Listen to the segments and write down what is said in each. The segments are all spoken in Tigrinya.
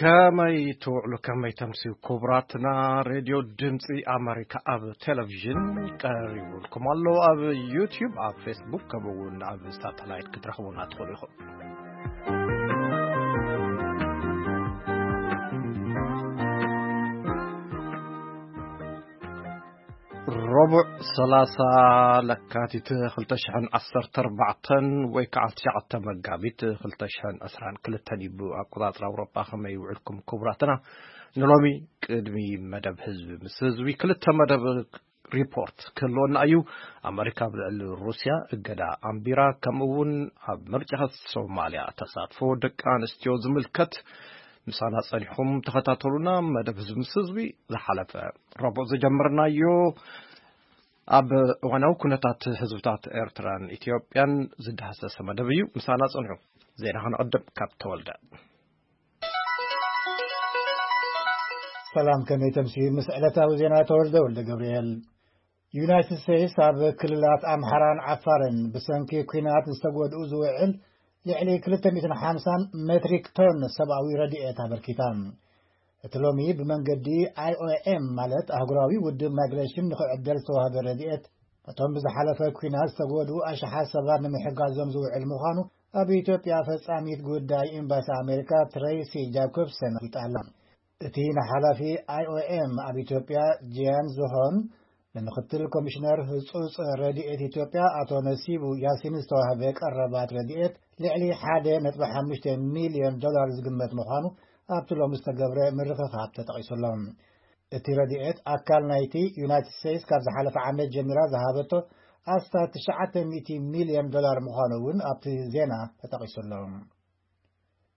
ከመይ ትውዕሉ፣ ከመይ ተምስዩ? ክቡራትና፣ ሬድዮ ድምፂ ኣመሪካ ኣብ ቴሌቪዥን ቀሪቡልኩም ኣሎ። ኣብ ዩቲዩብ፣ ኣብ ፌስቡክ፣ ከምኡ እውን ኣብ ሳተላይት ክትረኽቡና ትኽእሉ ኢኹም። ረቡዕ፣ ሰላሳ ለካቲት ክልተ ሽሕን ዓሰርተ ኣርባዕተን ወይ ከዓ ትሽዓተ መጋቢት ክልተ ሽሕን ዕስራን ክልተን እዩ ብኣቆጻጽራ ኣውሮጳ። ከመይ ውዕልኩም ክቡራትና? ንሎሚ ቅድሚ መደብ ህዝቢ ምስ ህዝቢ ክልተ መደብ ሪፖርት ክህልወና እዩ። ኣመሪካ ኣብ ልዕሊ ሩስያ እገዳ ኣንቢራ፣ ከምኡ እውን ኣብ ምርጫ ሶማልያ ተሳትፎ ደቂ ኣንስትዮ ዝምልከት ምሳና ጸኒሕኩም ተኸታተሉና። መደብ ህዝቢ ምስ ህዝቢ ዝሓለፈ ረቡዕ ዝጀመርናዮ ኣብ እዋናዊ ኩነታት ህዝብታት ኤርትራን ኢትዮጵያን ዝዳህሰሰ መደብ እዩ። ምሳና ጸንሑ። ዜና ክንዕድም ካብ ተወልደ። ሰላም፣ ከመይ ተምሲ? ምስ ዕለታዊ ዜና ተወልደ ወልደ ገብርኤል። ዩናይትድ ስቴትስ ኣብ ክልላት ኣምሓራን ዓፋርን ብሰንኪ ኲናት ዝተጎድኡ ዝውዕል ልዕሊ ክልተ ሚእትን ሓምሳን ሜትሪክ ቶን ሰብኣዊ ረድኤት ኣበርኪታ። እቲ ሎሚ ብመንገዲ ኣይ ኦ ኤም፣ ማለት ኣህጉራዊ ውድብ ማይግሬሽን፣ ንኽዕደል ዝተዋህበ ረድኤት፣ ነቶም ብዝሓለፈ ኲናት ዝተጎድኡ ኣሽሓት ሰባት ንምሕጋዞም ዝውዕል ምዃኑ ኣብ ኢትዮጵያ ፈጻሚት ጉዳይ ኤምባሲ ኣሜሪካ ትሬሲ ጃኮብሰን ኣፍሊጣ ኣላ። እቲ ንሓላፊ ኣይ ኦ ኤም ኣብ ኢትዮጵያ ጂያን ዝሆን፣ ንምክትል ኮሚሽነር ህጹጽ ረድኤት ኢትዮጵያ ኣቶ ነሲቡ ያሲን ዝተዋህበ ቀረባት ረድኤት ልዕሊ ሓደ ነጥቢ ሓሙሽተ ሚልዮን ዶላር ዝግመት ምዃኑ ኣብቲ ሎሚ ዝተገብረ ምርኽኻብ ተጠቒሱ ኣሎ። እቲ ረድኤት ኣካል ናይቲ ዩናይትድ ስቴትስ ካብ ዝሓለፈ ዓመት ጀሚራ ዝሃበቶ ኣስታት ትሽዓተ ሚእቲ ሚልዮን ዶላር ምዃኑ እውን ኣብቲ ዜና ተጠቒሱ ኣሎ።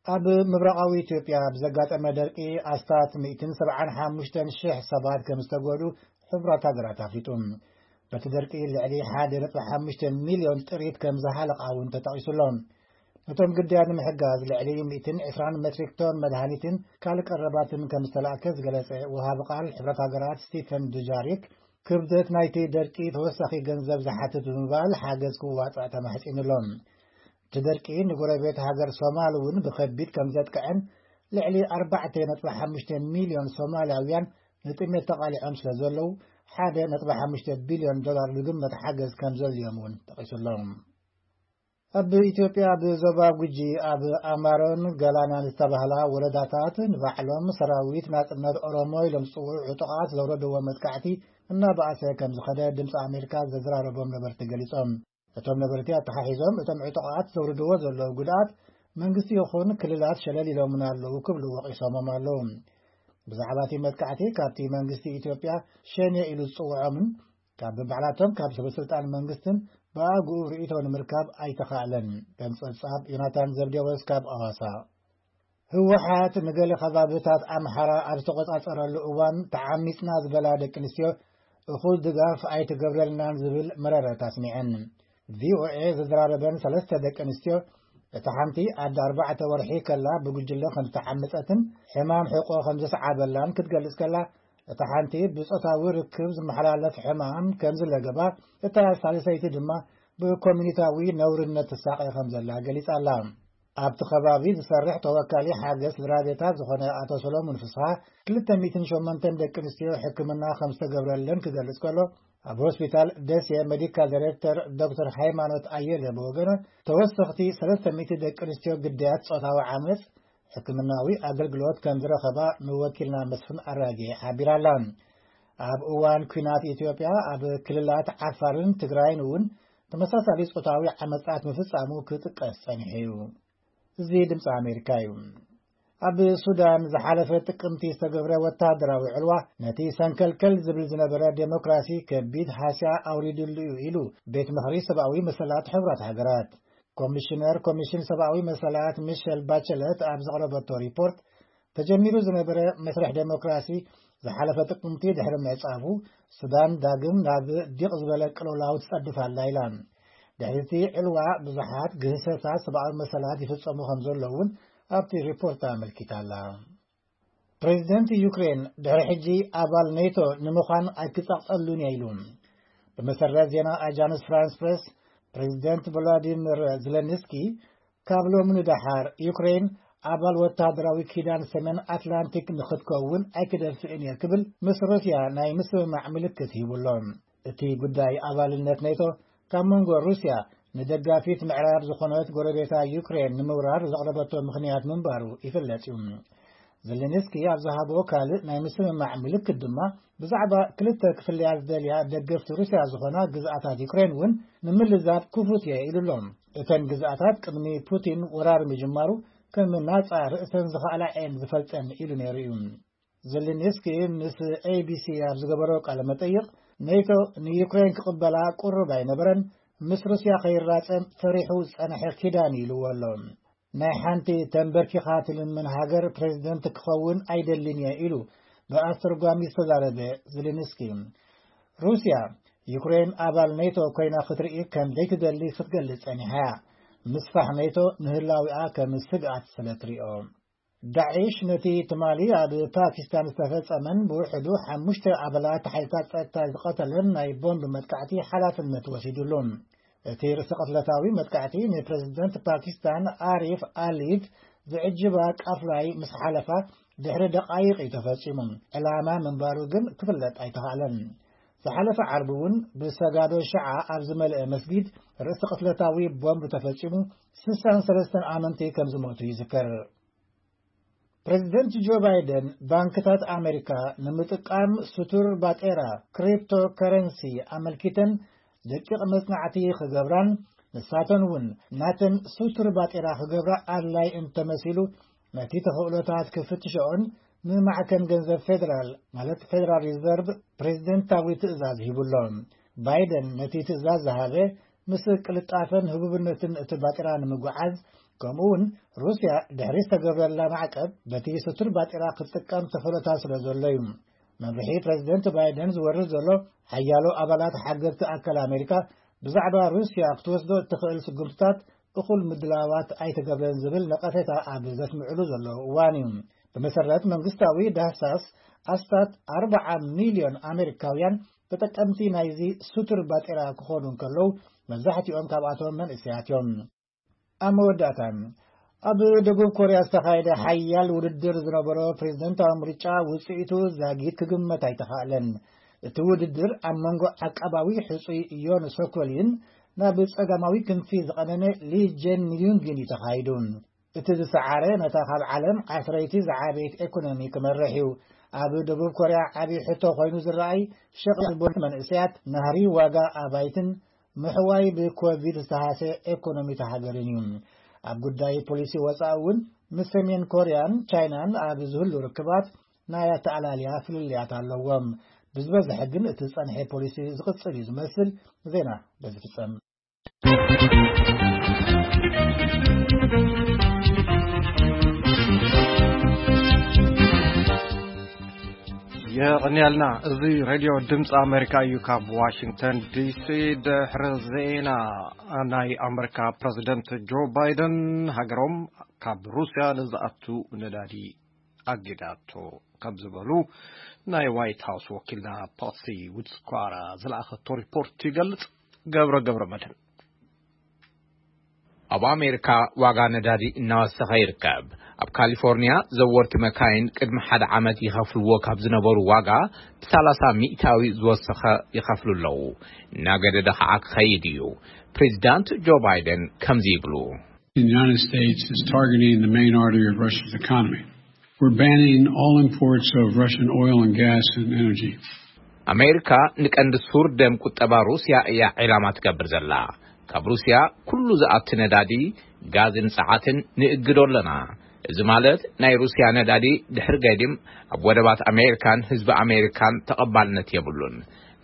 ኣብ ምብራቓዊ ኢትዮጵያ ብዘጋጠመ ደርቂ ኣስታት ሚእትን ሰብዓን ሓሙሽተን ሽሕ ሰባት ከም ዝተጎዱ ሕቡራት ሃገራት ኣፍሊጡ። በቲ ደርቂ ልዕሊ ሓደ ነጥቢ ሓሙሽተ ሚልዮን ጥሪት ከም ዝሃለቓ እውን ተጠቒሱ ኣሎ። ነቶም ግዳያት ንምሕጋዝ ልዕሊ ሚእትን ዕስራን ሜትሪክ ቶን መድሃኒትን ካልእ ቀረባትን ከም ዝተላእከ ዝገለጸ ወሃቢ ቃል ሕብረት ሃገራት ስቲፈን ዱጃሪክ፣ ክብደት ናይቲ ደርቂ ተወሳኺ ገንዘብ ዝሓትት ብምባል ሓገዝ ክዋጻእ ተማሕጺኑ ኣሎ። እቲ ደርቂ ንጎረቤት ሃገር ሶማል እውን ብኸቢድ ከም ዘጥቅዐን፣ ልዕሊ ኣርባዕተ ነጥቢ ሓሙሽተ ሚልዮን ሶማልያውያን ንጥሜት ተቓሊዖም ስለ ዘለዉ፣ ሓደ ነጥቢ ሓሙሽተ ቢልዮን ዶላር ዝግመት ሓገዝ ከም ዘድልዮም እውን ጠቒሱ ኣሎ። ኣብ ኢትዮጵያ፣ ኣብ ዞባ ጉጂ፣ ኣብ ኣማሮን ገላናን ዝተባህላ ወረዳታት፣ ንባዕሎም ሰራዊት ናጽነት ኦሮሞ ኢሎም ዝጽውዑ ዕጡቓት ዘውረድዎ መጥቃዕቲ እናበኣሰ ከም ዝኸደ ድምፂ ኣሜሪካ ዘዘራረቦም ነበርቲ ገሊጾም። እቶም ነበርቲ ኣተሓሒዞም፣ እቶም ዕጡቓት ዘውርድዎ ዘለዉ ጉድኣት መንግስቲ ይኹን ክልላት ሸለል ኢሎምና ኣለዉ ክብሉ ወቒሶሞም ኣለዉ። ብዛዕባ እቲ መጥቃዕቲ፣ ካብቲ መንግስቲ ኢትዮጵያ ሸኔ ኢሉ ዝጽውዖምን ካብ በባዕላቶም ካብ ሰበስልጣን መንግስትን ብኣግኡ ርእይቶ ንምርካብ ኣይተኻእለን። ከም ጸብጻብ ዮናታን ዘብዴዎስ ካብ ኣዋሳ። ህወሓት ንገለ ከባብታት ኣምሓራ ኣብ ዝተቖጻጸረሉ እዋን፣ ተዓሚጽና ዝበላ ደቂ ኣንስትዮ እኹል ድጋፍ ኣይትገብረልናን ዝብል መረረት ኣስሚዐን። ቪኦኤ ዘዘራረበን ሰለስተ ደቂ ኣንስትዮ፣ እታ ሓንቲ ኣደ ኣርባዕተ ወርሒ ከላ ብጉጅለ ከም ዝተዓመጸትን ሕማም ሕቆ ከም ዘስዓበላን ክትገልጽ ከላ፣ እታ ሓንቲ ብጾታዊ ርክብ ዝመሓላለፍ ሕማም ከም ዝለገባ፣ እታ ሳልሰይቲ ድማ ብኮሚኒታዊ ነውርነት ትሳቐ ከም ዘላ ገሊጻ ኣላ። ኣብቲ ከባቢ ዝሰርሕ ተወካሊ ሓገዝ ስድራ ቤታት ዝኾነ ኣቶ ሰሎሙን ፍስሓ፣ ክልተ ሚእትን ሸሞንተን ደቂ ኣንስትዮ ሕክምና ከም ዝተገብረለን ክገልጽ ከሎ፣ ኣብ ሆስፒታል ደሴ ሜዲካል ዳይሬክተር ዶክተር ሃይማኖት ኣየለ ብወገኑ፣ ተወሰኽቲ ሰለስተ ሚእቲ ደቂ ኣንስትዮ ግዳያት ጾታዊ ዓመጽ ሕክምናዊ ኣገልግሎት ከም ዝረኸባ ንወኪልና መስፍን ኣራጌ ሓቢራ ኣላ። ኣብ እዋን ኲናት ኢትዮጵያ፣ ኣብ ክልላት ዓፋርን ትግራይን እውን ተመሳሳሊ ጾታዊ ዓመጻት ምፍጻሙ ክጥቀስ ጸኒሑ እዩ። እዚ ድምጺ ኣሜሪካ እዩ። ኣብ ሱዳን ዝሓለፈ ጥቅምቲ ዝተገብረ ወተሃደራዊ ዕልዋ፣ ነቲ ሰንከልከል ዝብል ዝነበረ ዴሞክራሲ ከቢድ ሃስያ ኣውሪድሉ እዩ ኢሉ ቤት ምኽሪ ሰብኣዊ መሰላት ሕቡራት ሃገራት። ኮሚሽነር ኮሚሽን ሰብኣዊ መሰላት ሚሸል ባቸለት ኣብ ዘቕረበቶ ሪፖርት፣ ተጀሚሩ ዝነበረ መስርሕ ዴሞክራሲ ዝሓለፈ ጥቅምቲ ድሕሪ ምዕጻፉ፣ ሱዳን ዳግም ናብ ዲቕ ዝበለ ቅልውላው ትጸድፍ ኣላ ኢላ። ድሕሪ እቲ ዕልዋ፣ ብዙሓት ግህሰታት ሰብኣዊ መሰላት ይፍጸሙ ከም ዘለዉ እውን ኣብቲ ሪፖርት ኣመልኪታ ኣላ። ፕሬዚደንት ዩክሬን፣ ድሕሪ ሕጂ ኣባል ኔቶ ንምዃን ኣይክጸቕጠሉን እየ ኢሉ። ብመሰረት ዜና ኣጃንስ ፍራንስ ፕሬስ፣ ፕሬዚደንት ቮሎዲሚር ዜለንስኪ፣ ካብ ሎሚ ንደሓር ዩክሬን ኣባል ወታደራዊ ኪዳን ሰሜን ኣትላንቲክ ንኽትከውን ኣይክደፍእን እየ ክብል ምስ ሩስያ ናይ ምስምማዕ ምልክት ሂቡ ኣሎ። እቲ ጉዳይ ኣባልነት ኔቶ ካብ መንጎ ሩስያ ንደጋፊት ምዕራብ ዝኾነት ጎረቤታ ዩክሬን ንምውራር ዘቕረበቶ ምኽንያት ምንባሩ ይፍለጥ እዩ። ዘለንስኪ ኣብ ዝሃቦ ካልእ ናይ ምስምማዕ ምልክት ድማ ብዛዕባ ክልተ ክፍለያ ዝደልያ ደገፍቲ ሩስያ ዝኾና ግዝኣታት ዩክሬን እውን ንምልዛብ ክፉት እየ ኢሉ ኣሎ። እተን ግዝኣታት ቅድሚ ፑቲን ወራር ምጅማሩ ከም ናጻ ርእሰን ዝኸኣላ እየን ዝፈልጠን ኢሉ ነይሩ እዩ። ዘለንስኪ ምስ ኤቢሲ ኣብ ዝገበሮ ቃለ መጠይቕ ኔቶ ንዩክሬን ክቕበላ ቅሩብ ኣይነበረን፣ ምስ ሩስያ ከይራጸም ፈሪሑ ዝጸንሐ ኪዳን ኢልዎ ኣሎ። ናይ ሓንቲ ተንበርኪኻ ትልምን ሃገር ፕሬዝደንት ክኸውን ኣይደልን እየ ኢሉ ብኣስተርጓሚ ዝተዛረበ ዜሌንስኪ፣ ሩስያ ዩክሬን ኣባል ኔቶ ኮይና ክትርኢ ከም ዘይትደሊ ክትገልጽ ጸኒሓ እያ። ምስፋሕ ኔቶ ንህላዊኣ ከም ስግኣት ስለ ትሪኦ። ዳዒሽ ነቲ ትማሊ ኣብ ፓኪስታን ዝተፈጸመን ብውሕዱ ሓሙሽተ ኣባላት ሓይልታት ጸጥታ ዝቐተለን ናይ ቦምብ መጥቃዕቲ ሓላፍነት ወሲዱሉ። እቲ ርእሰ ቅትለታዊ መጥቃዕቲ ንፕረዚደንት ፓኪስታን ኣሪፍ ኣሊድ ዝዕጅባ ቃፍላይ ምስ ሓለፋ ድሕሪ ደቓይቕ እዩ ተፈጺሙ። ዕላማ ምንባሩ ግን ክፍለጥ ኣይተኻእለን። ዝሓለፈ ዓርቢ እውን ብሰጋዶ ሽዓ ኣብ ዝመልአ መስጊድ ርእሰ ቅትለታዊ ቦምብ ተፈጺሙ ስሳን ሰለስተን ኣመንቲ ከም ዝሞቱ ይዝከር። ፕረዚደንት ጆ ባይደን ባንክታት ኣሜሪካ ንምጥቃም ስቱር ባጤራ ክሪፕቶ ከረንሲ ኣመልኪተን ደቂቕ መጽናዕቲ ክገብራን ንሳተን እውን ናተን ስቱር ባጤራ ክገብራ ኣድላይ እንተመሲሉ ነቲ ተኽእሎታት ክፍትሸኦን ንማዕከን ገንዘብ ፌደራል ማለት ፌደራል ሪዘርቭ ፕሬዚደንታዊ ትእዛዝ ሂቡሎ። ባይደን ነቲ ትእዛዝ ዝሃበ ምስ ቅልጣፈን ህቡብነትን እቲ ባጤራ ንምጉዓዝ ከምኡ እውን ሩስያ ድሕሪ ዝተገብረላ ማዕቀብ በቲ ስቱር ባጤራ ክትጥቀም ተኽእሎታት ስለ ዘሎ እዩ። መምርሒ ፕረዚደንት ባይደን ዝወርድ ዘሎ ሓያሎ ኣባላት ሓገዝቲ ኣካል ኣሜሪካ ብዛዕባ ሩስያ ክትወስዶ እትኽእል ስጉምትታት እኹል ምድላዋት ኣይተገብረን ዝብል ነቐፌታ ኣብ ዘስምዕሉ ዘለዉ እዋን እዩ። ብመሰረት መንግስታዊ ዳህሳስ ኣስታት ኣርብዓ ሚልዮን ኣሜሪካውያን ተጠቀምቲ ናይዚ ስቱር ባጤራ ክኾኑ እንከለዉ መብዛሕትኦም ካብኣቶም መንእሰያት እዮም። ኣብ መወዳእታ ኣብ ደቡብ ኮርያ ዝተኻየደ ሓያል ውድድር ዝነበሮ ፕሬዝደንታዊ ምርጫ ውፅኢቱ ዛጊት ክግመት ኣይተኻእለን። እቲ ውድድር ኣብ መንጎ ዓቃባዊ ሕፁይ ዮን ሶኮሊን ናብ ጸጋማዊ ክንፊ ዝቐነነ ሊ ጀን ዩንግን እዩ ተኻይዱ። እቲ ዝሰዓረ ነታ ካብ ዓለም ዓስረይቲ ዝዓበየት ኤኮኖሚ ክመርሕ እዩ። ኣብ ደቡብ ኮርያ ዓብዪ ሕቶ ኮይኑ ዝረኣይ ሸቐጥ ቦቲ መንእሰያት ናህሪ ዋጋ ኣባይትን ምሕዋይ ብኮቪድ ዝተሃሰ ኤኮኖሚ ተሃገርን እዩ። ኣብ ጉዳይ ፖሊሲ ወፃኢ እውን ምስ ሰሜን ኮርያን ቻይናን ኣብ ዝህሉ ርክባት ናይ ኣተኣላልያ ፍልልያት ኣለዎም። ብዝበዝሐ ግን እቲ ዝፀንሐ ፖሊሲ ዝቕፅል እዩ ዝመስል። ዜና በዚ ፍፀም። የቐንያልና። እዚ ሬድዮ ድምፂ ኣሜሪካ እዩ። ካብ ዋሽንግተን ዲሲ ድሕሪ ዜና፣ ናይ ኣሜሪካ ፕረዚደንት ጆ ባይደን ሃገሮም ካብ ሩስያ ንዝኣቱ ነዳዲ ኣጊዳቶ ከም ዝበሉ ናይ ዋይት ሃውስ ወኪልና ፓትሲ ውድስኳራ ዝለኣኸቶ ሪፖርት ይገልጽ። ገብረ ገብረ መድህን። ኣብ ኣሜሪካ ዋጋ ነዳዲ እናወሰኸ ይርከብ። ኣብ ካሊፎርኒያ ዘወርቲ መካይን ቅድሚ ሓደ ዓመት ይኸፍልዎ ካብ ዝነበሩ ዋጋ ብሰላሳ ሚእታዊ ዝወሰኸ ይኸፍሉ ኣለዉ። እናገደደ ኸዓ ክኸይድ እዩ። ፕሬዚዳንት ጆ ባይደን ከምዚ ይብሉ። The United States is targeting the main artery of Russia's economy. We're banning all imports of Russian oil and gas and energy. ኣሜሪካ ንቀንዲ ሱር ደም ቁጠባ ሩስያ እያ ዒላማ ትገብር ዘላ። ካብ ሩስያ ኩሉ ዝኣቲ ነዳዲ፣ ጋዝን ጸዓትን ንእግዶ ኣለና። እዚ ማለት ናይ ሩስያ ነዳዲ ድሕሪ ገዲም ኣብ ወደባት ኣሜሪካን ህዝቢ ኣሜሪካን ተቐባልነት የብሉን።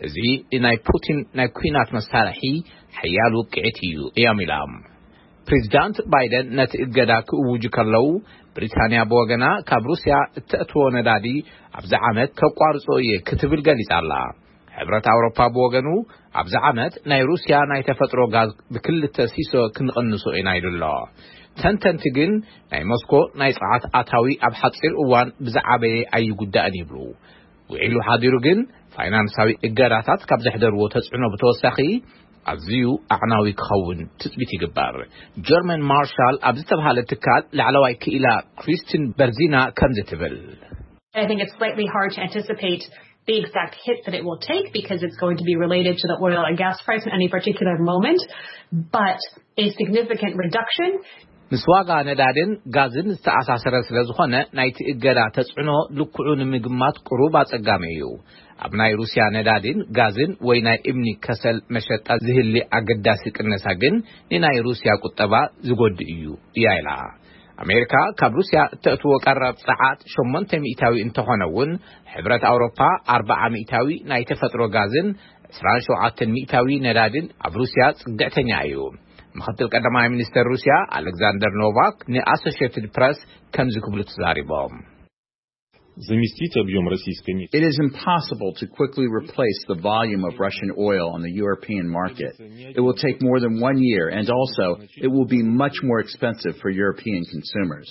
እዚ ናይ ፑቲን ናይ ኲናት መሳርሒ ሓያል ውቅዒት እዩ እዮም ኢሎም። ፕሬዚዳንት ባይደን ነቲ እገዳ ክእውጁ ከለዉ፣ ብሪታንያ ብወገና ካብ ሩስያ እተእትዎ ነዳዲ ኣብዚ ዓመት ከቋርጾ እየ ክትብል ገሊጻ ኣላ። ሕብረት ኣውሮፓ ብወገኑ ኣብዚ ዓመት ናይ ሩስያ ናይ ተፈጥሮ ጋዝ ብክልተ ሲሶ ክንቕንሶ ኢና ኢሉ ኣሎ። ተንተንቲ ግን ናይ ሞስኮ ናይ ጸዓት ኣታዊ ኣብ ሓጺር እዋን ብዝዓበየ ኣይጉዳእን ይብሉ። ውዒሉ ሓዲሩ ግን ፋይናንሳዊ እገዳታት ካብ ዘሕደርዎ ተጽዕኖ ብተወሳኺ ኣዝዩ ኣዕናዊ ክኸውን ትጽቢት ይግበር። ጀርመን ማርሻል ኣብ ዝተባህለ ትካል ላዕለዋይ ክኢላ ክሪስቲን በርዚና ከምዚ ትብል። I think it's slightly hard to anticipate the exact hit that it will take because it's going to be related to the oil and gas price in any particular moment, but a significant reduction. ምስ ዋጋ ነዳድን ጋዝን ዝተኣሳሰረ ስለ ዝኾነ፣ ናይቲ እገዳ ተጽዕኖ ልክዑ ንምግማት ቅሩብ ኣጸጋሚ እዩ። ኣብ ናይ ሩስያ ነዳድን ጋዝን ወይ ናይ እምኒ ከሰል መሸጣ ዝህሊ ኣገዳሲ ቅነሳ ግን ንናይ ሩስያ ቁጠባ ዝጎድእ እዩ እያ ኢላ። ኣሜሪካ ካብ ሩስያ እተእትዎ ቀረብ ጸዓት ሸሞንተ ሚእታዊ እንተኾነ እውን፣ ሕብረት ኣውሮፓ ኣርብዓ ሚእታዊ ናይ ተፈጥሮ ጋዝን ዕስራን ሸውዓተን ሚእታዊ ነዳድን ኣብ ሩስያ ጽግዕተኛ እዩ። ምኽትል ቀዳማይ ሚኒስተር ሩስያ ኣሌክዛንደር ኖቫክ ንኣሶሺየትድ ፕረስ ከምዚ ክብሉ ተዛሪቦም። Заместить объем российской нефти. It is impossible to quickly replace the volume of Russian oil on the European market. It will take more than one year, and also it will be much more expensive for European consumers.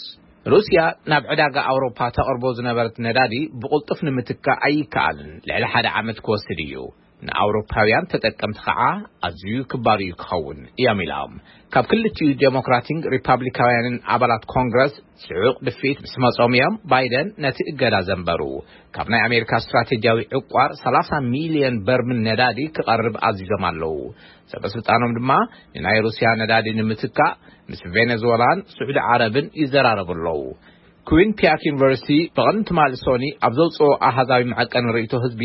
ሩስያ ናብ ዕዳጋ ኣውሮፓ ተቕርቦ ዝነበረት ነዳዲ ብቕልጡፍ ንምትካእ ኣይከኣልን። ልዕሊ ሓደ ዓመት ክወስድ እዩ። ንኣውሮፓውያን ተጠቀምቲ ከዓ ኣዝዩ ክባር እዩ ክኸውን እዮም ኢሎም። ካብ ክልቲኡ ዴሞክራቲን ሪፓብሊካውያንን ኣባላት ኮንግረስ ጽዑቕ ድፍኢት ምስ መጾም እዮም ባይደን ነቲ እገዳ ዘንበሩ። ካብ ናይ ኣሜሪካ ስትራቴጂያዊ ዕቋር ሰላሳ ሚልዮን በርሚል ነዳዲ ክቐርብ ኣዚዞም ኣለዉ። ሰበ ስልጣኖም ድማ ንናይ ሩስያ ነዳዲ ንምትካእ ምስ ቬኔዙዌላን ስዑዲ ዓረብን ይዘራረቡ ኣለዉ። ኩዊን ፒያክ ዩኒቨርሲቲ ብቐንዲ ትማሊ ሶኒ ኣብ ዘውፅኦ ኣሃዛዊ መዐቀኒ ርእይቶ ህዝቢ፣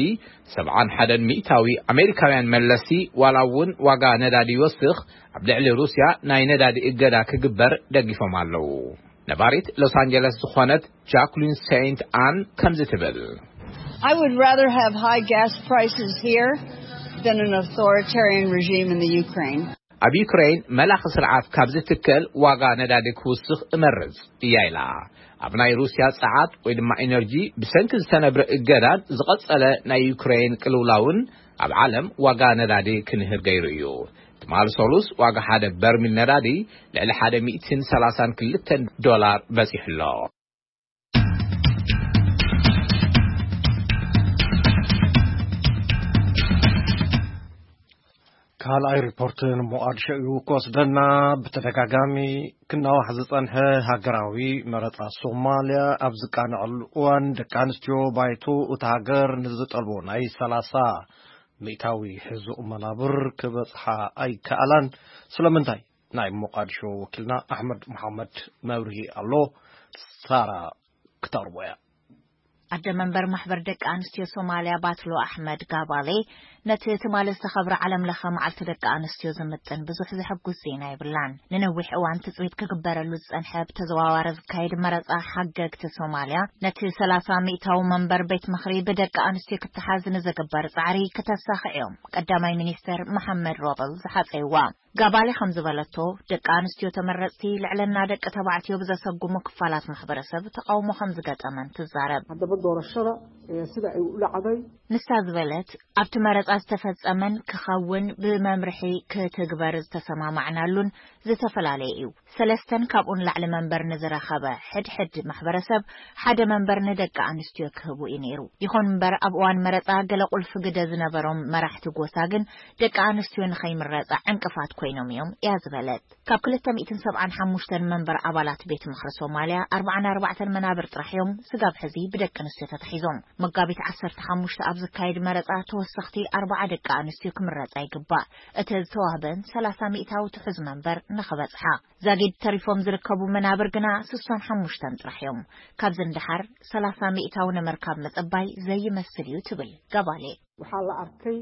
ሰብዓን ሓደን ሚእታዊ ኣሜሪካውያን መለስቲ ዋላ እውን ዋጋ ነዳዲ ይወስኽ፣ ኣብ ልዕሊ ሩስያ ናይ ነዳዲ እገዳ ክግበር ደጊፎም ኣለዉ። ነባሪት ሎስ ኣንጀለስ ዝኾነት ጃክሊን ሴንት ኣን ከምዚ ትብል። I would rather have high gas prices here than an authoritarian regime in the Ukraine. ኣብ ዩክሬን መላኺ ስርዓት ካብ ዝትከል ዋጋ ነዳዲ ክውስኽ እመርጽ እያ ኢላ። ኣብ ናይ ሩስያ ጸዓት ወይ ድማ ኢነርጂ ብሰንኪ ዝተነብረ እገዳን ዝቐጸለ ናይ ዩክሬን ቅልውላውን ኣብ ዓለም ዋጋ ነዳዲ ክንህር ገይሩ እዩ። ትማሊ ሰሉስ ዋጋ ሓደ በርሚል ነዳዲ ልዕሊ ሓደ ሚእትን ሰላሳን ክልተን ዶላር በጺሑ ኣሎ። ካልኣይ ሪፖርት ንሞቓድሾ እዩ ክወስደና። ብተደጋጋሚ ክናዋሕ ዝጸንሐ ሃገራዊ መረጻ ሶማልያ ኣብ ዝቃንዐሉ እዋን፣ ደቂ ኣንስትዮ ባይቶ እታ ሃገር ንዝጠልቦ ናይ ሰላሳ ሚእታዊ ሕዙቕ መናብር ክበጽሓ ኣይከኣላን። ስለምንታይ? ናይ ሞቓድሾ ወኪልና ኣሕመድ መሓመድ መብርሂ ኣሎ። ሳራ ክተቕርቦ እያ። ኣደ መንበር ማሕበር ደቂ ኣንስትዮ ሶማልያ ባትሎ ኣሕመድ ጋባሌ፣ ነቲ ትማሊ ዝተኸብረ ዓለም ለኸ መዓልቲ ደቂ ኣንስትዮ ዝምጥን ብዙሕ ዘሐጉስ ዜና የብላን። ንነዊሕ እዋን ትጽቢት ክግበረሉ ዝጸንሐ ብተዘዋዋሪ ዝካየድ መረጻ ሓገግቲ ሶማልያ፣ ነቲ ሰላሳ ሚእታዊ መንበር ቤት ምኽሪ ብደቂ ኣንስትዮ ክተሓዝ ንዝግበር ጻዕሪ ክተሳኽዕ እዮም ቀዳማይ ሚኒስተር መሓመድ ሮበል ዝሓጸይዋ። ጋባሌ ከም ዝበለቶ፣ ደቂ ኣንስትዮ ተመረጽቲ ልዕልና ደቂ ተባዕትዮ ብዘሰጉሙ ክፋላት ማሕበረሰብ ተቓውሞ ከም ዝገጠመን ትዛረብ። Haddaba doorashada, ee, sida ay u dhacday. ንሳ ዝበለት፣ ኣብቲ መረጻ ዝተፈጸመን ክኸውን ብመምርሒ ክትግበር ዝተሰማማዕናሉን ዝተፈላለየ እዩ። ሰለስተን ካብኡ ንላዕሊ መንበር ንዝረኸበ ሕድሕድ ማሕበረሰብ ሓደ መንበር ንደቂ ኣንስትዮ ክህቡ እዩ ነይሩ። ይኹን እምበር፣ ኣብ እዋን መረጻ ገለ ቁልፊ ግደ ዝነበሮም መራሕቲ ጎሳ ግን ደቂ ኣንስትዮ ንኸይምረጻ ዕንቅፋት ኮይኖም እዮም እያ ዝበለት። ካብ ክልተ ሚእትን ሰብዓን ሓሙሽተን መንበር ኣባላት ቤት ምኽሪ ሶማልያ፣ ኣርባዓን ኣርባዕተን መናብር ጥራሕ እዮም ስጋብ ሕዚ ብደቂ ኣንስትዮ ተታሒዞም። መጋቢት ዓሰርተ ሓሙሽተ ኣብ ዝካየድ መረጻ ተወሰኽቲ ኣርባዓ ደቂ ኣንስትዮ ክምረጻ ይግባእ። እቲ ዝተዋህበን ሰላሳ ሚእታዊ ትሑዝ መንበር ንኽበጽሓ። ዛጊድ ተሪፎም ዝርከቡ መናብር ግና ስሳን ሓሙሽተን ጥራሕ እዮም። ካብዚ ንደሓር ሰላሳ ሚእታዊ ንምርካብ ምጽባይ ዘይመስል እዩ ትብል ጋባሌ። Waxaa la arkay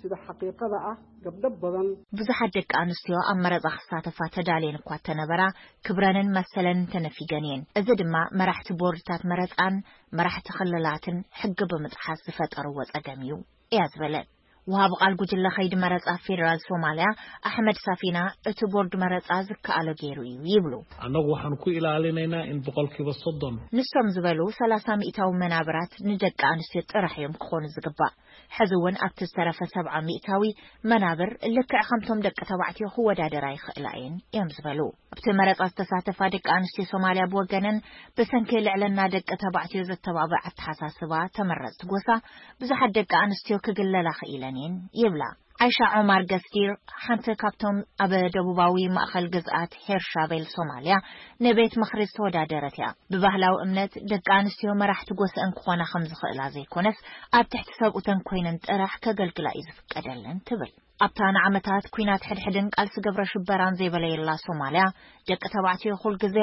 sida xaqiiqada ah gabdho badan. ብዙሓት ደቂ ኣንስትዮ ኣብ መረጻ ክሳተፋ ተዳልየን እኳ እተነበራ፣ ክብረንን መሰለን ተነፊገን እየን። እዚ ድማ መራሕቲ ቦርድታት መረጻን መራሕቲ ክልላትን ሕጊ ብምጥሓስ ዝፈጠርዎ ጸገም እዩ እያ ዝበለት። ወሃቢ ቃል ጉጅለ ከይዲ መረጻ ፌደራል ሶማልያ ኣሕመድ ሳፊና፣ እቲ ቦርድ መረጻ ዝከኣሎ ገይሩ እዩ ይብሉ። Annagu waxaan ku ilaalinaynaa in boqolkiiba soddon. ንሶም ዝበሉ ሰላሳ ሚእታዊ መናብራት ንደቂ ኣንስትዮ ጥራሕ እዮም ክኾኑ ዝግባእ። ሕዚ እውን ኣብቲ ዝተረፈ ሰብዓ ሚእታዊ መናብር ልክዕ ከምቶም ደቂ ተባዕትዮ ክወዳደራ ይኽእላ እየን እዮም ዝበሉ። ኣብቲ መረጻ ዝተሳተፋ ደቂ ኣንስትዮ ሶማልያ ብወገነን፣ ብሰንኪ ልዕልና ደቂ ተባዕትዮ ዘተባብዕ ኣተሓሳስባ ተመረጽቲ ጎሳ፣ ብዙሓት ደቂ ኣንስትዮ ክግለላ ክኢለን እየን ይብላ። ዓይሻ ዖማር ገስጊር፣ ሓንቲ ካብቶም ኣብ ደቡባዊ ማእኸል ግዝኣት ሄርሻቤል ሶማልያ ንቤት ምኽሪ ዝተወዳደረት እያ። ብባህላዊ እምነት፣ ደቂ ኣንስትዮ መራሕቲ ጎሰ እንክኾና ከም ዝኽእላ ዘይኮነስ፣ ኣብ ትሕቲ ሰብኡተን ኮይነን ጥራሕ ከገልግላ እዩ ዝፍቀደለን ትብል። ኣብታ ንዓመታት ኲናት ሕድሕድን ቃልሲ ግብረ ሽበራን ዘይበለየላ ሶማልያ፣ ደቂ ተባዕትዮ ኩል ግዜ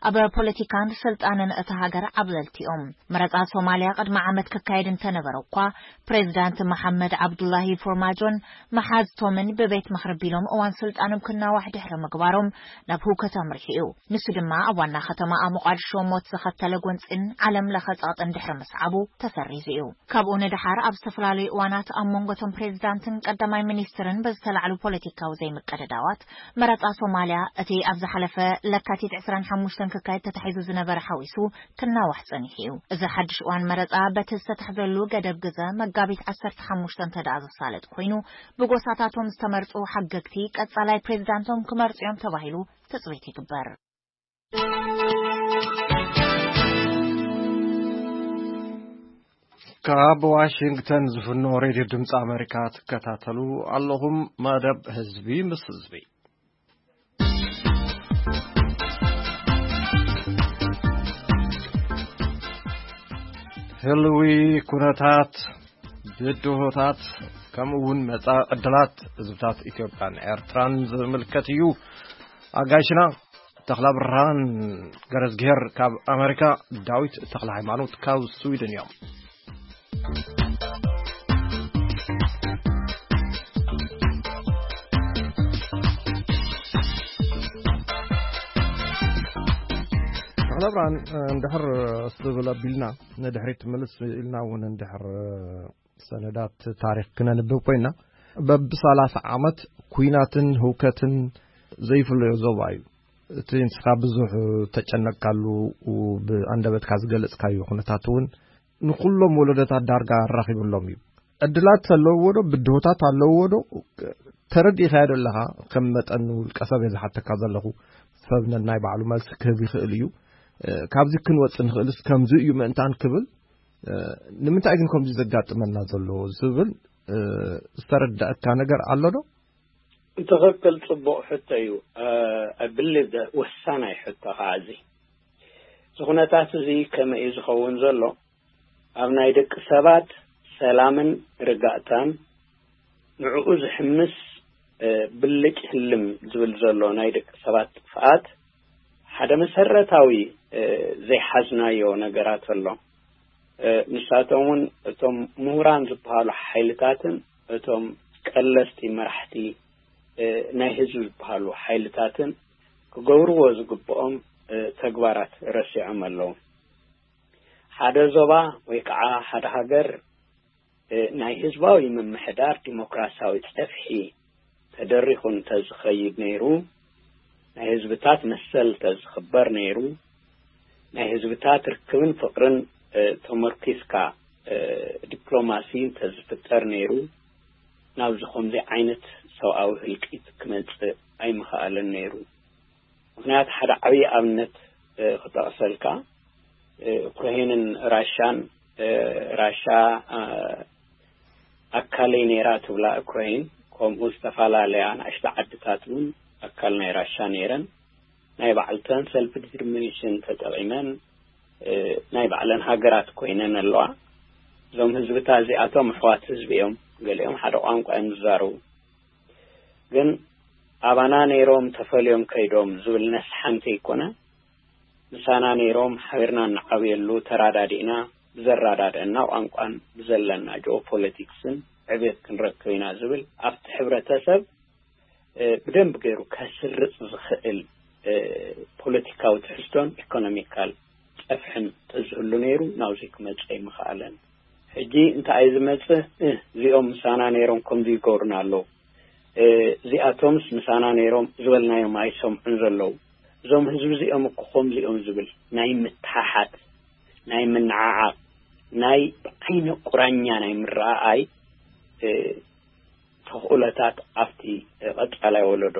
ኣብ ፖለቲካን ስልጣንን እታ ሃገር ዓብለልቲ እዮም። መረጻ ሶማልያ ቅድሚ ዓመት ክካየድ እንተነበረ እኳ፣ ፕሬዚዳንት መሓመድ ዓብዱላሂ ፎርማጆን መሓዝቶምን ብቤት ምኽሪ ቢሎም እዋን ስልጣኖም ክናዋሕ ድሕሪ ምግባሮም፣ ናብ ህውከት ኣምሪሑ እዩ። ንሱ ድማ ኣብ ዋና ከተማ ሞቓድሾ ሞት ዘኸተለ ጎንጺን ዓለም ለኸ ጸቕጥን ድሕሪ ምስዓቡ ተሰሪዙ እዩ። ካብኡ ንደሓር ኣብ ዝተፈላለዩ እዋናት ኣብ መንጎ እቶም ፕሬዚዳንትን ቀዳማይ ሚኒስትርን በዝተላዕሉ ፖለቲካዊ ዘይምቅድዳዋት፣ መረጻ ሶማልያ እቲ ኣብ ዝሓለፈ ለካቲት ዕስራን ሓሙሽተን ክካየድ ተታሒዙ ዝነበረ ሓዊሱ ክናዋሕ ጸኒሑ እዩ። እዚ ሓድሽ እዋን መረጻ በቲ ዝተታሕዘሉ ገደብ ግዘ መጋቢት ዓሰርተ ሓሙሽተ እንተ ደኣ ዘሳለጥ ኮይኑ፣ ብጎሳታቶም ዝተመርጹ ሓገግቲ ቀጻላይ ፕሬዚዳንቶም ክመርጹ እዮም ተባሂሉ ትጽቢት ይግበር። ካብ ዋሽንግተን ዝፍኖ ሬድዮ ድምፂ ኣሜሪካ ትከታተሉ ኣለኹም። መደብ ህዝቢ ምስ ህዝቢ። ህልዊ ኩነታት፣ ብድሆታት፣ ከምኡ እውን መጻኢ ዕድላት ህዝብታት ኢትዮጵያን ኤርትራን ዝምልከት እዩ። ኣጋይሽና ተኽለ ብርሃን ገረዝግሄር ካብ ኣሜሪካ፣ ዳዊት ተኽለ ሃይማኖት ካብ ስዊድን እዮም። ተኽለ ብርሃን፣ እንድሕር ስብል ኣቢልና ንድሕሪት ምልስ ኢልና እውን እንድሕር ሰነዳት ታሪኽ ክነንብብ ኮይና፣ በብሰላሳ ዓመት ኲናትን ህውከትን ዘይፍለዮ ዞባ እዩ። እቲ ንስኻ ብዙሕ ተጨነቅካሉ፣ ብኣንደበትካ ዝገለጽካዮ ኩነታት እውን ንኹሎም ወለዶታት ዳርጋ ኣራኺብሎም እዩ። ዕድላት ኣለውዎ ዶ? ብድሆታት ኣለውዎ ዶ? ተረዲእካዮ ዶ ኣለኻ? ከም መጠን ውልቀ ሰብ እየ ዝሓተካ ዘለኹ። ሰብ ነናይ ባዕሉ መልሲ ክህብ ይኽእል እዩ። እ፣ ካብዚ ክንወጽእ ንኽእልስ ከምዚ እዩ ምእንታን ክብል፣ እ፣ ንምንታይ ግን ከምዚ ዘጋጥመና ዘሎ ዝብል፣ እ፣ ዝተረዳእካ ነገር ኣሎ ዶ? ትኽክል፣ ጽቡቕ ሕቶ እዩ። እ፣ I believe that ወሳናይ ሕቶ ኸዓ እዚ። እዚ ኩነታት እዚ ከመይ እዩ ዝኸውን ዘሎ? ኣብ ናይ ደቂ ሰባት ሰላምን ርጋእታን ንዕኡ ዝሕምስ፣ እ፣ ብልጭ ህልም ዝብል ዘሎ ናይ ደቂ ሰባት ጥፍኣት ሓደ መሰረታዊ፣ እ፣ ዘይሓዝናዮ ነገራት ኣሎ። እ፣ ንሳቶም እውን እቶም ምሁራን ዝበሃሉ ሓይልታትን እቶም ቀለስቲ መራሕቲ፣ እ፣ ናይ ህዝቢ ዝበሃሉ ሓይልታትን ክገብርዎ ዝግብኦም፣ እ፣ ተግባራት ረሲዖም ኣለዉ። ሓደ ዞባ ወይ ከዓ ሓደ ሃገር፣ እ፣ ናይ ህዝባዊ ምምሕዳር ዲሞክራሲያዊ ጸፍሒ ተደሪኹ እንተዝኸይድ ነይሩ፣ ናይ ህዝብታት መሰል እንተዝኽበር ነይሩ፣ ናይ ህዝብታት ርክብን ፍቕርን፣ እ፣ ተመርኪስካ፣ እ፣ ዲፕሎማሲ እንተዝፍጠር ነይሩ፣ ናብዚ ከምዚ ዓይነት ሰብኣዊ ህልቂት ክመጽእ ኣይምኸኣለን ነይሩ። ምኽንያቱ ሓደ ዓብዪ ኣብነት፣ እ፣ ክጠቕሰልካ፣ እ፣ ዩክሬንን ራሻን፣ እ፣ ራሻ፣ እ፣ ኣካለይ ነይራ ትብላ ዩክሬን፣ ከምኡ ዝተፈላለያ ንኣሽቱ ዓድታት እውን ኣካል ናይ ራሻ ነይረን። ናይ ባዕልተን ሰልፍ ዲተርሚኔሽን ተጠቒመን፣ እ፣ ናይ ባዕለን ሃገራት ኮይነን ኣለዋ። እዞም ህዝብታት እዚኣቶም ኣሕዋት ህዝቢ እዮም። ገሊኦም ሓደ ቋንቋ እዮም ዝዛረቡ። ግን ኣባና ነይሮም ተፈልዮም ከይዶም ዝብል ነስሓ እንተይኮነ፣ ምሳና ነይሮም ሓቢርና እንዓብየሉ፣ ተራዳዲእና ብዘራዳድአና ቋንቋን ብዘለና ጂኦፖለቲክስን ዕብየት ክንረክብ ኢና ዝብል ኣብቲ ሕብረተሰብ፣ እ፣ ብደንብ ገይሩ ከስርጽ ዝኽእል፣ እ፣ ፖለቲካዊ ትሕዝቶን ኢኮኖሚካል ጸፍሕን ተዝህሉ ነይሩ፣ ናብዚ ክመጽእ ኣይምኸኣለን። ሕጂ እንታይ እዩ ዝመጽእ? እ፣ እዚኦም ምሳና ነይሮም ከምዚ ይገብሩና ኣለዉ። እ፣ እዚኣቶምስ ምሳና ነይሮም ዝበልናዮም ኣይሰምዑን ዘለዉ። እዞም ህዝቢ እዚኦም እኮ ከምዚ እዮም ዝብል ናይ ምትሓሓት፣ ናይ ምንዓዓቕ፣ ናይ ብዓይነ ቁራኛ ናይ ምረኣኣይ፣ እ፣ ተኽእሎታት ኣብቲ ቀጻላይ ወለዶ፣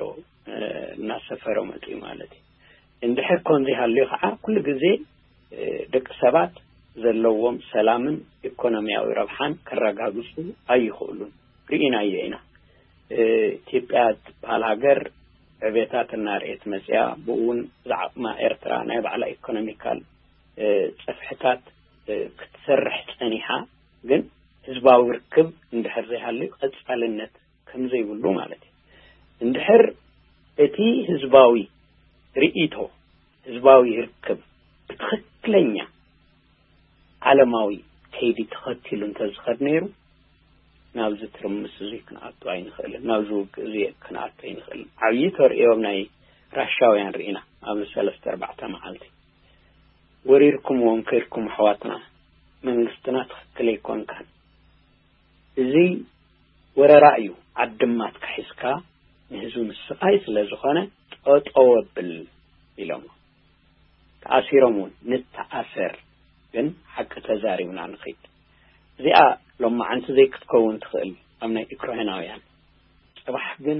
እ፣ እናሰፈረ መጺኡ ማለት እዩ። እንድሕር ከምዚ ሃልዩ ከዓ ኩሉ ግዜ፣ እ፣ ደቂ ሰባት ዘለዎም ሰላምን ኢኮኖሚያዊ ረብሓን ከረጋግጹ ኣይኽእሉን። ርኢናዮ ኢና። ኢትዮጵያ ትበሃል ሃገር ዕቤታት እናርኤት መፅያ፣ ብኡ እውን ዝዓቕማ ኤርትራ ናይ ባዕላ ኢኮኖሚካል ጽፍሕታት ክትሰርሕ ጸኒሓ፣ ግን ህዝባዊ ርክብ እንድሕር ዘይሃልዩ ቀጻልነት ከም ዘይብሉ ማለት እዩ። እንድሕር እቲ ህዝባዊ ርእይቶ፣ ህዝባዊ ርክብ ብትኽክለኛ ዓለማዊ ከይዲ ተኸቲሉ እንተዝኸድ ነይሩ፣ ናብዚ ትርምስ እዙይ ክንኣቱ ኣይንኽእልን፣ ናብዚ ውግእ እዙይ ክንኣቱ ኣይንኽእልን። ዓብዪ ተርእዮ ናይ ራሻውያን ርኢና ኣብዚ ሰለስተ ኣርባዕተ መዓልቲ። ወሪርኩምዎም ከድኩም ኣሕዋትና፣ መንግስትና ትኽክል ኣይኮንካን። እዚ ወረራ እዩ፣ ዓድማትካ ሒዝካ ንህዝቢ ምስቓይ ስለ ዝኾነ ጠጠው ኣብል ኢሎም። ተኣሲሮም እውን ንተኣሰር፣ ግን ሓቂ ተዛሪብና ንኺድ። እዚኣ ሎማዓንቲ ዘይክትከውን ትኽእል ኣብ ናይ ዩክራይናውያን። ጽባሕ ግን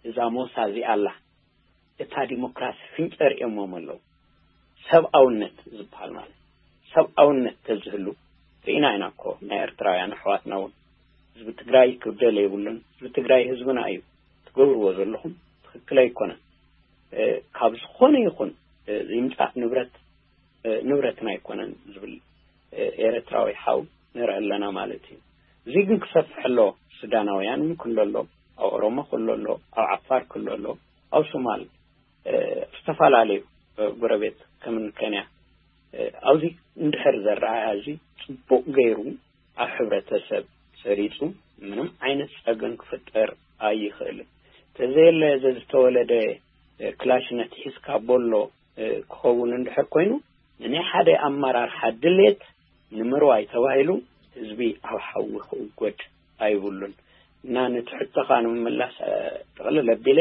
እዛ ሞሳ እዚኣ ኣላ፣ እታ ዲሞክራሲ ፍንጨር እዮሞም ኣለዉ። ሰብኣውነት ዝበሃል ማለት ሰብኣውነት ተዝህሉ ርኢና ኢና እኮ። ናይ ኤርትራውያን ኣሕዋትና እውን ህዝቢ ትግራይ ክብደል የብሉን። ህዝቢ ትግራይ ህዝብና እዩ። ትገብርዎ ዘለኹም ትኽክል ኣይኮነን። ካብ ዝኾነ ይኹን ይምፃእ ንብረት ንብረትና ኣይኮነን ዝብል ኤርትራዊ ሓው ንርኢ ኣለና ማለት እዩ። እዚ ግን ክሰፍሕ ኣሎ። ሱዳናውያን እውን ክሎ ኣሎ፣ ኣብ ኦሮሞ ክሎ ኣሎ፣ ኣብ ዓፋር ክሎ ኣሎ፣ ኣብ ሶማል፣ ዝተፈላለዩ ጎረቤት ከም ኬንያ ኣብዚ እንድሕር ዘረኣያ እዚ ፅቡቅ ገይሩ ኣብ ሕብረተሰብ ሰሪፁ ምንም ዓይነት ፀገም ክፍጠር ኣይኽእልን። ተዘየለ ዘዝተወለደ ክላሽነት ሒዝካ ቦሎ ክኸውን እንድሕር ኮይኑ፣ ንናይ ሓደ ኣመራርሓ ድሌት ንምርዋይ ተባሂሉ ህዝቢ ኣብ ሓዊ ክእጎድ ኣይብሉን። እና ነቲ ሕቶኻ ንምምላስ ጥቕልል ኣቢለ፣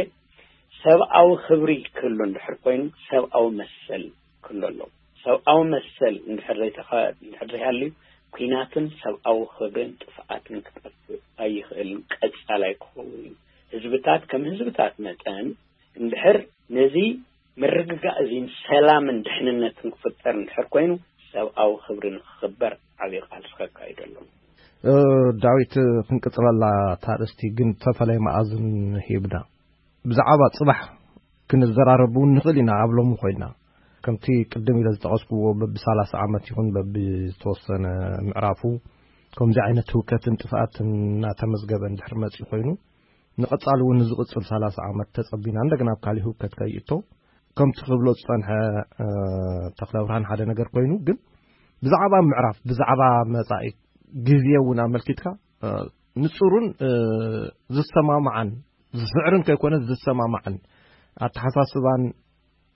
ሰብኣዊ ክብሪ ክህሉ እንድሕር ኮይኑ ሰብኣዊ መሰል ክህሉ ኣለዎ። ሰብኣዊ መሰል እንድሕር ዘይተኸ እንድሕር ዘይሃልዩ ኩናትን ሰብኣዊ ክብርን ጥፍኣትን ክጠፍእ ኣይኽእልን፣ ቀጻላይ ክኸውን እዩ። ህዝብታት ከም ህዝብታት መጠን እንድሕር ነዚ ምርግጋእ እዚን ሰላምን ድሕንነትን ክፍጠር እንድሕር ኮይኑ ሰብኣዊ ክብሪ ንክኽበር ዓብዪ ቃልሲ ከካይዱ ኣለዎም። ዳዊት፣ ክንቅፅለላ ታርእስቲ ግን ተፈለየ መኣዝን ሂብና ብዛዕባ ፅባሕ ክንዘራረብ እውን ንኽእል ኢና። ኣብ ሎሚ ኮይና ከምቲ ቅድም ኢለ ዝጠቐስኩዎ በቢ ሰላሳ ዓመት ይኹን በቢ ዝተወሰነ ምዕራፉ ከምዚ ዓይነት ህውከትን ጥፍኣትን እናተመዝገበ እንድሕር መፅኡ ኮይኑ ንቐፃሊ እውን ንዝቕፅል ሰላሳ ዓመት ተፀቢና እንደገና ኣብ ካሊእ ህውከት ከይእቶ ከምቲ ክብሎ ዝፀንሐ ተክለብርሃን ሓደ ነገር ኮይኑ ግን ብዛዕባ ምዕራፍ ብዛዕባ መፃኢ ግዜ እውን ኣመልኪትካ ንፁሩን ዝሰማማዓን ዝስዕርን ከይኮነ ዝሰማማዕን ኣተሓሳስባን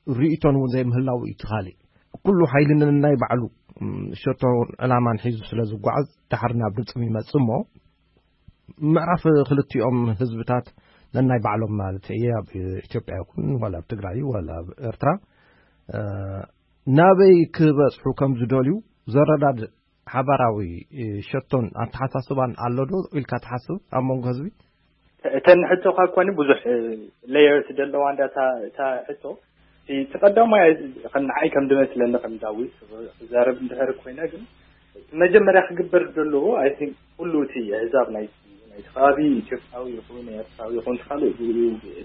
ርእይቶን እውን ዘይምህላው እዩ። ትኻሊ ኩሉ ሓይሊ ነናይ ባዕሉ ሸቶን ዕላማን ሒዙ ስለ ዝጓዓዝ ዳሓር ናብ ድምፅም ይመፅእ እሞ ምዕራፍ ክልቲኦም ህዝብታት ነናይ ባዕሎም ማለት እየ ኣብ ኢትዮጵያ ይኹን ዋላ ኣብ ትግራይ ዋላ ኣብ ኤርትራ ናበይ ክበፅሑ ከም ዝደልዩ ዘረዳድእ ሓባራዊ ሸቶን ኣተሓሳስባን ኣሎ ዶ ኢልካ ትሓስብ ኣብ መንጎ ህዝቢ? እተን ሕቶኻ እኮ ብዙሕ ሌየርስ ዘለዋ እንዳ እታ ሕቶ እቲ ቀዳማይ ንዓይ ከም ዝመስለኒ ከም ዳዊት ክዛረብ እንድሕር ኮይነ ግን መጀመርያ ክግበር ዘለዎ ኣይ ቲንክ ኩሉ እቲ ኣህዛብ ናይ ናይቲ ከባቢ ኢትዮጵያዊ ይኹን ኤርትራዊ ይኹን ካልእ ብኡ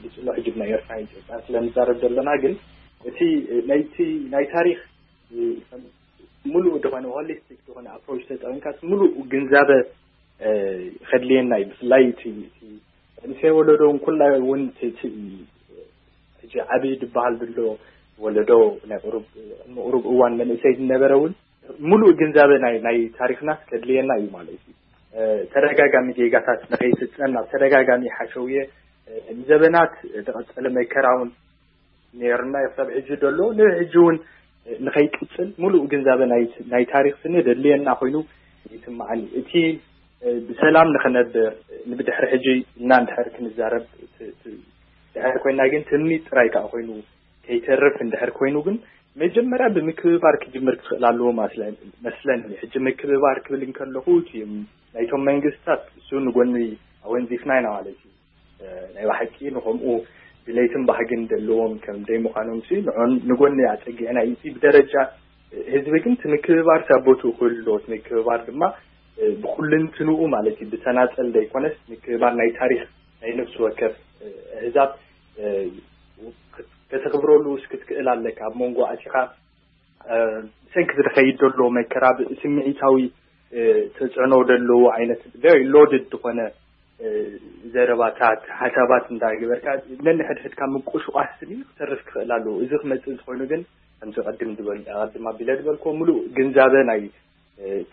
ብፅሎ ሕጂ ናይ ኤርትራ ኢትዮጵያ ስለንዛረብ ዘለና ግን እቲ ናይቲ ናይ ታሪክ ሙሉእ ዝኾነ ሆሊስቲክ ዝኾነ ኣፕሮች ተጠቂምካስ ሙሉእ ግንዛበ ከድልየና እዩ። ብፍላይ እቲ መንእሰይ ወለዶ እውን ኩላ እውን ሕጂ ዓብዪ ዝበሃል ዘሎ ወለዶ ናይ ቁሩብ ቅድሚ ቁሩብ እዋን መንእሰይ ዝነበረ እውን ሙሉእ ግንዛበ ናይ ናይ ታሪክና ከድልየና እዩ ማለት እዩ። ተደጋጋሚ ጌጋታት ንኸይፍፀም ናብ ተደጋጋሚ ሓሸውየ ንዘበናት ዝቐፀለ መከራ እውን ነይሩና እዩ ክሳብ ሕጂ ዘሎ ንሕጂ እውን ንኸይቅፅል ሙሉእ ግንዛበ ናይ ታሪክ ስኒ ደድልየና ኮይኑ ይስማዓኒ። እቲ ብሰላም ንኽነብር ንብድሕሪ ሕጂ እና እንድሕር ክንዛረብ ድሕር ኮይና ግን ትምኒት ጥራይ ከዓ ኮይኑ ከይተርፍ እንድሕር ኮይኑ ግን መጀመርያ ብምክብባር ክጅምር ክትኽእል ኣለዎ መስለኒ። ሕጂ ምክብባር ክብል እንከለኹ እቲ ናይቶም መንግስታት እሱ ንጎኒ ኣወንዚፍና ኢና ማለት እዩ። ናይ ብሓቂ ንኸምኡ ድሌትን ባህግን ዘለዎም ከም ደይ ምዃኖም ሲ ንጎኒ ኣፀጊዕና እዩ። ብደረጃ ህዝቢ ግን እቲ ምክብባር ሳቦቱ ክህሉ ኣለዎ። እቲ ምክብባር ድማ ብኩልንትንኡ ማለት እዩ ብተናፀል ዘይኮነስ ምክብባር ናይ ታሪክ ናይ ነፍሲ ወከፍ ኣህዛብ ከተኽብረሉ እስክትክእል ኣለካ። ኣብ መንጎ ኣቲኻ ብሰንኪ ዝኸይድ ዘሎ መከራ ስምዒታዊ ተፅዕኖ ዘለዎ ዓይነት very loaded ዝኾነ ዘረባታት፣ ሓሳባት እንዳገበርካ ነንሕድሕድካ ምቁሽቋስ ስኒ ክተርፍ ክኽእል ኣለዎ። እዚ ክመፅእ ዝኾይኑ ግን ከምዚ ቀድም ዝበል ቀድም ኣቢለ ዝበልኮ ሙሉእ ግንዛበ ናይ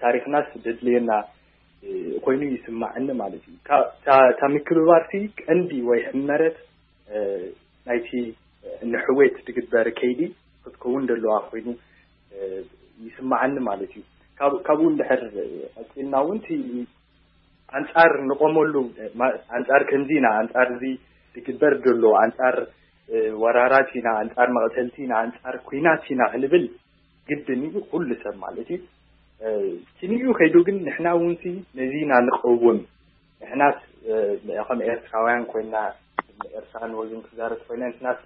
ታሪክናስ ደድልየና ኮይኑ ይስማዕኒ ማለት እዩ። እታ ምክብባርቲ ቀንዲ ወይ ሕመረት ናይቲ ንሕዌት ትግበር ከይዲ ክትከውን ደለዋ ኮይኑ ይስማዓኒ ማለት እዩ። ካብኡ እንድሕር ቀፂልና እውን እቲ ኣንፃር ንቆመሉ፣ ኣንፃር ከምዚ ኢና፣ ኣንፃር እዚ ዝግበር ዘሎ፣ ኣንፃር ወራራት ኢና፣ ኣንፃር መቕተልቲ ኢና፣ ኣንፃር ኩናት ኢና ክንብል ግድን እዩ፣ ኩሉ ሰብ ማለት እዩ። እቲ ንኡ ከይዱ ግን ንሕና እውን ሲ ነዚ ኢና ንቀውም። ንሕናስ ከም ኤርትራውያን ኮይና፣ ኤርትራን ወግን ክዛረብ ኮይና፣ ንሕናስ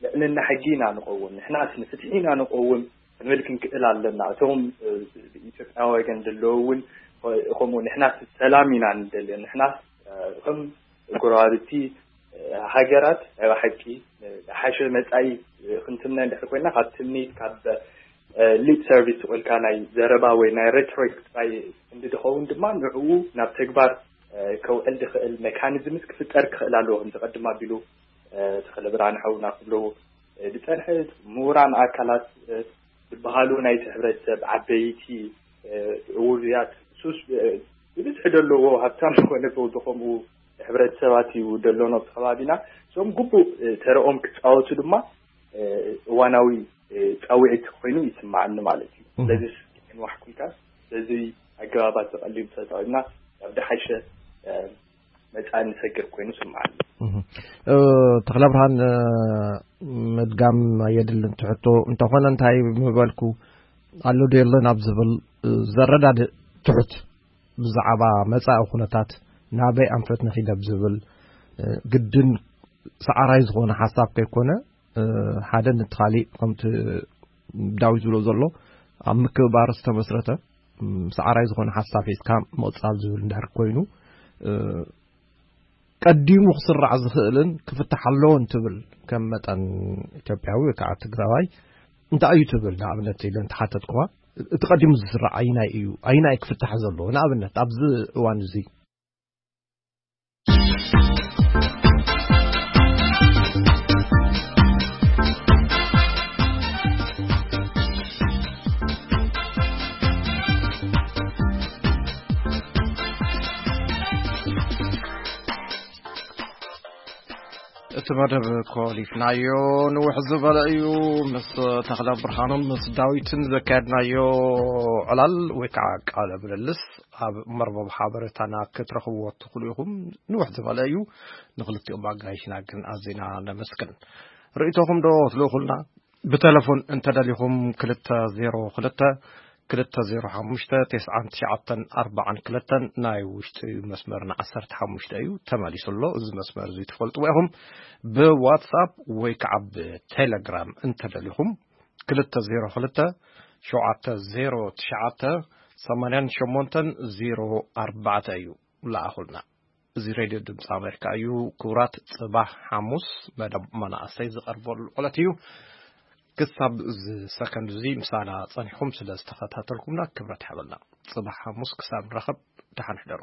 ልዕልና ሕጊ ኢና ንቀውም፣ ንሕናስ ንፍትሒ ኢና ንቀውም ክንብል ክንክእል ኣለና። እቶም ኢትዮጵያ ወገን ዘለዉ እውን ከምኡ፣ ንሕናስ ሰላም ኢና ንደልዮ፣ ንሕናስ ከም ጎረባብቲ ሃገራት ናይ ብሓቂ ሓሸ መፃኢ ክንትምነ እንድሕር ኮይና፣ ካብ ትምኒት፣ ካብ ሊፕ ሰርቪስ ዝቆልካ ናይ ዘረባ ወይ ናይ ሬቶሪክ ጥራይ እንድድኸውን ድማ ንዕኡ ናብ ተግባር ከውዕል ዝኽእል ሜካኒዝምስ ክፍጠር ክኽእል ኣለዎ። ከምዚ ቀድም ኣቢሉ ተኽለ ብርሃን ሓውና ክብሎ ዝፀንሐ፣ ምሁራን ኣካላት ዝበሃሉ ናይቲ ሕብረተሰብ ዓበይቲ ውሩያት ሱስ ብብዝሒ ዘለዎ ሃብታም ዝኾነ ዘውዲ ከምኡ ሕብረተሰባት እዩ ደሎኖ ኣብቲ ከባቢና። እሶም ግቡእ ተረኦም ክፃወቱ ድማ እዋናዊ ፃውዒት ኮይኑ ይስማዓኒ ማለት እዩ። ስለዚ ንዋሕኩልካ በዚ ኣገባባት ተቐሊሉ ተጠቒምና ናብ ድሓሸ መፃኢ ንሰግር ኮይኑ ስምዓኒ። ተኽለ ብርሃን፣ ምድጋም ኣየድልን ትሕቶ እንተኾነ እንታይ ምበልኩ፣ ኣሎ ዶ የለን ኣብ ዝብል ዘረዳድእ ትሑት ብዛዕባ መፃኢ ኩነታት ናበይ ኣንፈት ንኺደብ ዝብል ግድን ሰዓራይ ዝኾነ ሓሳብ ከይኮነ፣ ሓደ ነቲ ካሊእ ከምቲ ዳዊት ዝብሎ ዘሎ ኣብ ምክብባር ዝተመስረተ ሰዓራይ ዝኾነ ሓሳብ ሒዝካ ምቕፃል ዝብል እንድሕር ኮይኑ፣ ቀዲሙ ክስራዕ ዝኽእልን ክፍታሕ ኣለዎ እንትብል ከም መጠን ኢትዮጵያዊ ወይ ከዓ ትግራዋይ እንታይ እዩ ትብል? ንኣብነት ኢለ እንተሓተትኩኻ፣ እቲ ቀዲሙ ዝስራዕ ኣይናይ እዩ? ኣይናይ ክፍታሕ ዘለዎ ንኣብነት ኣብዚ እዋን እዚ? እቲ መደብ ኮሊፍናዮ ንውሕ ዝበለ እዩ። ምስ ተኽለ ብርሃኖም ምስ ዳዊትን ዘካየድናዮ ዕላል ወይ ከዓ ቃለ ምልልስ ኣብ መርበብ ሓበሬታና ክትረኽብዎ ትኽእሉ ኢኹም። ንውሕ ዝበለ እዩ። ንክልቲኦም ኣጋይሽና ግን ኣዚና ነመስግን። ርእይቶኹም ዶ ትልእኹልና? ብቴሌፎን እንተደሊኹም ክልተ ዜሮ ክልተ ክልተ ዜሮ ሓሙሽተ ተስዓን ትሽዓተን ኣርባዓን ክልተን ናይ ውሽጢ መስመርና ዓሰርተ ሓሙሽተ እዩ፣ ተመሊሱ ኣሎ። እዚ መስመር እዚ ትፈልጥዎ ኢኹም። ብዋትሳፕ ወይ ከዓ ብቴሌግራም እንተደሊኹም ክልተ ዜሮ ክልተ ሸውዓተ ዜሮ ትሽዓተ ሰማንያን ሸሞንተን ዜሮ ኣርባዕተ እዩ። ለኣኹልና። እዚ ሬድዮ ድምፂ ኣሜሪካ እዩ። ክቡራት፣ ፅባሕ ሓሙስ መደብ መናእሰይ ዝቐርበሉ ዕለት እዩ። ክሳብ እዚ ሰከንድ እዚ ምሳና ፀኒሕኩም ስለ ዝተኸታተልኩምና ክብረት ይሃበልና። ፅባሕ ሓሙስ ክሳብ ንራኸብ ደሓን ሕደሩ።